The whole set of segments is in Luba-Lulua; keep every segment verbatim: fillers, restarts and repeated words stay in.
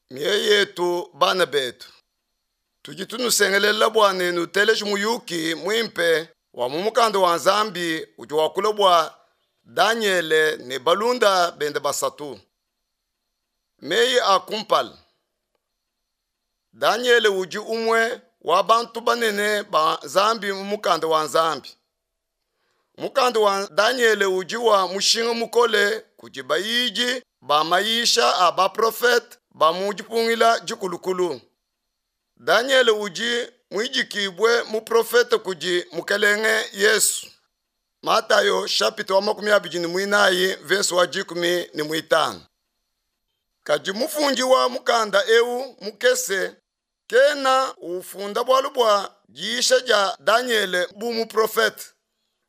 Mioyo yetu bana betu, tudi tunusengelela bua ne nuteleje muyuki muimpe wa mu mukanda wa Nzambi udi wakula bua Danyele ne balunda bende basatu. Meyi a kumpala. Danyele udi umue wa bantu banene ba Nzambi mu mukanda wa Nzambi. Mukanda wa Danyele udi wa mushinga mukole kudi bayidi ba mayisha a baprofete ba mu dipungila dikulukulu. Danyele udi muidikibue muprofete kudi Mukelenge Yesu. Matayo chapitre wa makumi abidi ne muinayi verse wa dikumi ne muitanu. Kadi mufundi wa mukanda eu mukese kena ufunda bualu bua diyisha dia Danyele bu muprofete,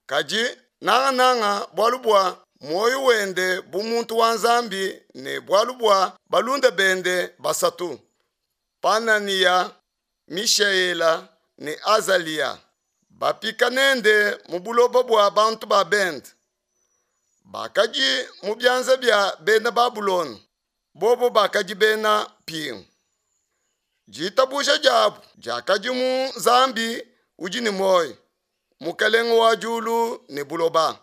kadi nangananga bualu bua muoyo wende bu muntu wa Nzambi ne bualu bua balunda bende basatu, Pananiya, Mishaela ne Azaliya, bapika nende mu buloba bua bantu ba bende. Bakadi mu bianza bia bena Babulona, bobo bakadi bena mpingu. Ditabuja diabu diakadi mu Nzambi udi ne muoyo, Mukelenge wa diulu ne buloba.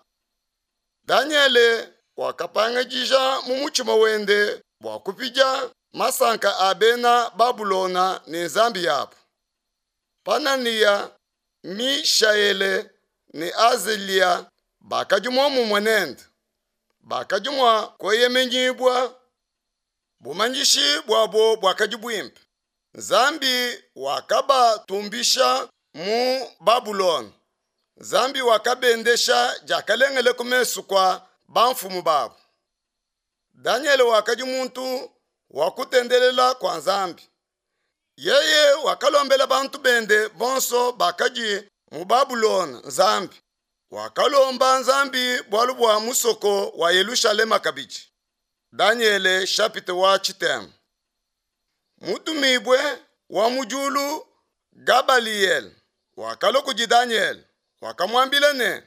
Danyele wakapangadija mu mutshima wende bua kupidia masanka a bena Babulona ne nzambi yabu. Pananiya, Mishaele ne Azalia bakadi muomumue nende. Bakadi mua kueyemenyibua. Bumanyishi buabo buakadi buimpe. Nzambi wakabatumbisha mu Babulona. Nzambi wakabendesha diakalengele ku mesu kua bamfumu babo. Danyele wakadi muntu wa kutendelela kua Nzambi. Yeye wakalombela bantu bende bonso bakadi mu Babulona Nzambi. Wakalomba Nzambi bualu bua musoko wa Yelushalema kabidi. Danyele chapitre wa tshitema. Mutumibue wa mu diulu Gabaliele wakalua kudi Danyele, wakamuambila ne,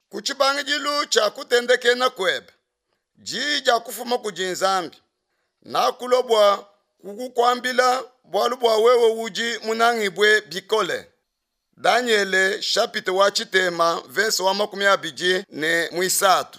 ku tshibangidilu tshia kutendekena kuebe, diyi dia kufuma kudi Nzambi, nakulua bua kukuambila bualu bua wewe udi munangibue bikole. Danyele chapitre wa tshitema verse wa makumi abidi ne muisatu.